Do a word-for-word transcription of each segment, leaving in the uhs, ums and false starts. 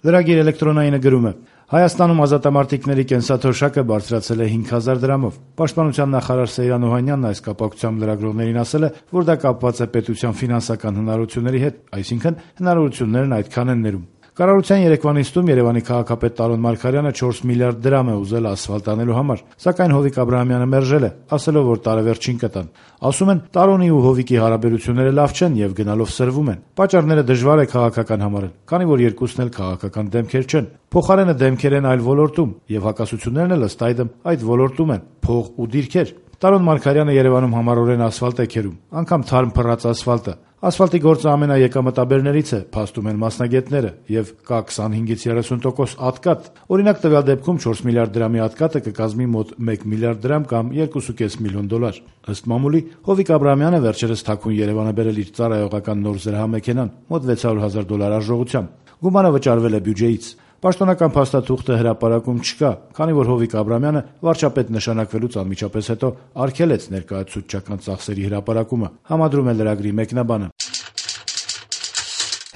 Լրագիր էլեկտրոնայինը գրում է. Հայաստանում ազատամարտիկների կենսաթոշակը բարձրացել է հինգ հազար դրամով։ Պաշտպանության նախարար Սեյրան Օհանյանն այս կապակցությամբ լրագրողներին ասել է, որ դա կապված է պետության ֆինանսական հնարավորությունների հետ, այսինքն հնարավորություններն այդքան են ներում։ Կառավարության երեկվա նիստում Երևանի քաղաքապետ Տարոն Մարգարյանը չորս միլիարդ դրամ է ուզել ասֆալտ անելու համար, սակայն Հովիկ Աբրահամյանը մերժել է, ասելով, որ տարեվերջին կտան։ Ասում են, Տարոնի ու Հովիկի հարաբերությունները լավ չեն եւ գնալով սրվում են։ Պատճառները դժվար է քաղաքական համարել, քանի որ երկուսն էլ քաղաքական դեմքեր չեն։ Փոխարենը դեմքեր են այլ ոլորտում, եւ հակասություններն էլ ըստ այդմ այդ ոլորտում են՝ փող ու դիրքեր։ Տարոն Մարգարյանը Երևանում համառորեն ասֆալտ է քերում, անգամ թարմ փռած ասֆալտը։ Ասֆալտի գործը ամենաեկամտաբերներից է, փաստում են մասնագետները, եւ կա քսանհինգից երեսուն տոկոս ատկատ։ Օրինակ տվյալ դեպքում չորս միլիարդ դրամի ատկատը կկազմի մոտ մեկ միլիարդ դրամ կամ երկու կես միլիոն դոլար։ Ըստ մամուլի, Հովիկ Աբրահամյանը վերջերս թաքուն Երևան է բերել իր ծառայողական նոր զրահամեքենան, մոտ վեց հարյուր հազար դոլար արժողությամբ։ Գումարը վճարվել է բյուջեից։ Պաշտոնական փաստաթուղթը հրապարակում չկա, քանի որ Հովիկ Աբրահամյանը վարչապետ նշանակվելուց անմիջապես հետո արգելեց ներկայացուցչական ծախսերի հրապարակումը, համադրում է լրագրի մեկնաբանը։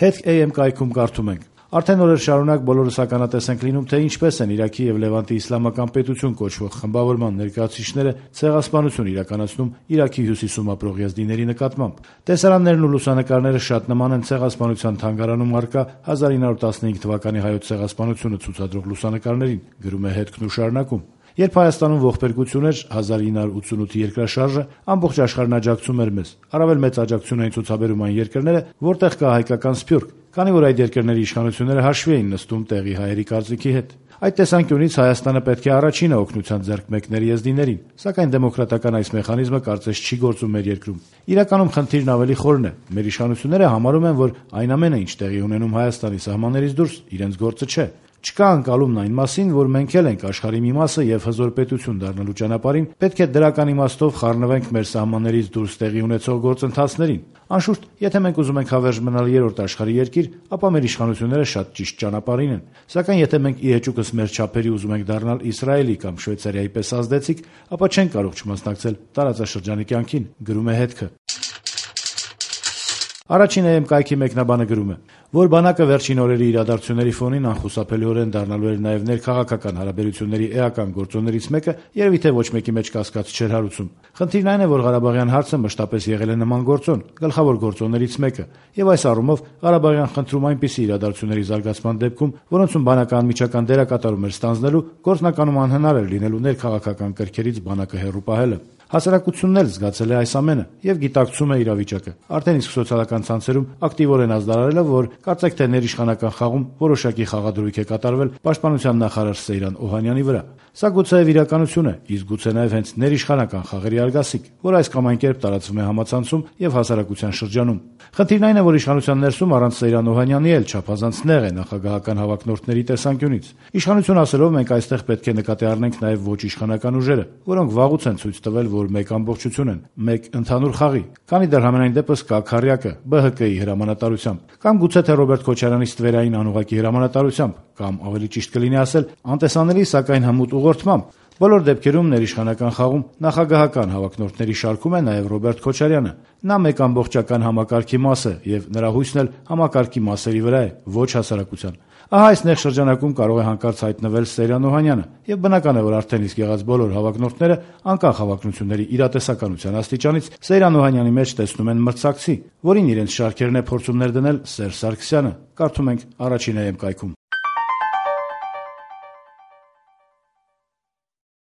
Հետք A M կայքում կարդում ենք. Արդեն օրեր շարունակ բոլորս ականատես ենք լինում, թե ինչպես են Իրաքի եւ Լևանտի իսլամական պետություն կոչվող խմբավորման ներկայացուցիչները ցեղասպանություն իրականացնում Իրաքի հյուսիսում ապրող եզդիների նկատմամբ։ Տեսարաններն ու լուսանկարները շատ նման են ցեղասպանության թանգարանում առկա հազար ինը հարյուր տասնհինգ թվականի հայոց ցեղասպանությունը ցուցադրող լուսանկարներին, գրում է հետքն ու շարունակում։ Երբ Հայաստանում ողբերգություն էր, հազար ինը հարյուր ութսունութի երկրաշարժը ամբողջ աշխարհն աջակցում էր մեզ։ Առավել մեծ աջակցություն էին ցուցաբերում այն երկրները, որտեղ կա հայկական սփյուռք, քանի որ այդ երկրների իշխանությունները հաշվի էին նստում տեղի հայերի կարծիքի հետ։ Այդ տեսանկյունից Հայաստանը պետք է առաջինը օգնության ձեռք մեկներ եզդիներին, սակայն դեմոկրատական այս մեխանիզմը կարծես չի գործում մեր երկրում։ Իրականում խնդիրն ավելի խորն է։ Մեր իշխանությունները համարում են, որ այն ամենը, ինչ տեղի ունենում Հայաստանի սահմաններից դուրս, իրենց գործը չէ։ Չկա անկալումն այն մասին, որ մենք էլ ենք աշխարհի մի մասը եւ հզոր պետություն դառնալու ճանապարհին պետք է դրական իմաստով խառնվենք մեր սահմաններից դուրս տեղի ունեցող գործընթացներին։ Անշուշտ, եթե մենք ուզում ենք հավերժ մնալ երրորդ աշխարհի երկիր, ապա մեր իշխանությունները շատ ճիշտ ճանապարհին են։ Սակայն եթե մենք ի հեճուկս մեր չափերի ուզում ենք դառնալ Իսրայելի կամ Շվեյցարիայի պես ազդեցիկ, ապա չենք կարող չմասնակցել տարածաշրջանի կյանքին, գրում է հետքը։ Առաջին A M կայքի մեկնաբանը գրում է, որ բանակը վերջին օրերի իրադարձությունների ֆոնին անխուսափելիորեն դառնալու էր նաև ներքաղաքական հարաբերությունների էական գործոններից մեկը, երևի թե ոչ մեկի մեջ կասկած չէր հարուցում։ Խնդիրն այն է, որ Ղարաբաղյան հարցը մշտապես եղել է նման գործոն, գլխավոր գործոններից մեկը, եւ այս առումով Ղարաբաղյան խնդրում այնպիսի իրադարձությունների զարգացման դեպքում, որոնցում բանակը անմիջական դերակատարում էր ստանձնելու, գործնականում անհնար էր լինելու ներքաղաքական կրքերից բանակը հեռու պահելը։ Հասարակությունն էլ զգացել է այս ամենը եւ գիտակցում է իրավիճակը։ Արդեն իսկ սոցիալական ցանցերում ակտիվորեն ազդարարել է, որ կարծեք թե ներիշխանական խաղում որոշակի խաղադրույք է կատարվել պաշտպանության նախարար Սեյրան Օհանյանի վրա։ Սա գուցեև իրականություն է, իսկ գուցե նաեւ հենց ներիշխանական խաղերի արգասիկ, որ այս կամ այն կերպ տարածվում է համացանցում եւ հասարակության շրջանում։ Խնդիրն այն է, որ իշխանության ներսում առանց Սեյրան Օհանյանի էլ չափազանց նեղ է նախագահական հավակնորդների տեսանկյունից։ Իշխանություն ասելով մենք այստեղ պետք է նկատի առնենք նաեւ ոչ իշխանական ուժերը, որոնք վաղուց են ցույց տվել, որ մեկ ամբողջություն են, մեկ ընդհանուր խաղի, քանի դեռ համենայն դեպս կա Քարյակը B H K-ի հրամանատարությամբ, կամ գուցե թե Ռոբերտ Քոչարյանի ստվերային անուղակի հրամանատարությամբ, կամ ավելի ճիշտ կլինի ասել անտեսանելի, սակայն հմուտ ուղղորդմամբ։ Բոլոր դեպքերում ներիշխանական խաղում նախագահական հավակնորդների շարքում է նաև Ռոբերտ Քոչարյանը։ Նա մեկ ամբողջական համակարգի մաս է եւ նրա հույսն էլ համակարգի մասերի վրա է, ոչ հասարակության։ Ահա այս նեղ շրջանակում կարող է հանկարծ հայտնվել Սեյրան Օհանյանը, եւ բնական է, որ արդեն իսկ եղած բոլոր հավակնորդները անկախ հավակնությունների իրատեսականության աստիճանից Սեյրան Օհանյանի մեջ տեսնում են մրցակցի, որին իրենց շարքերն է փորձում ներդնել Սերժ Սարգսյանը, կարդում ենք առաջին A M կայքում։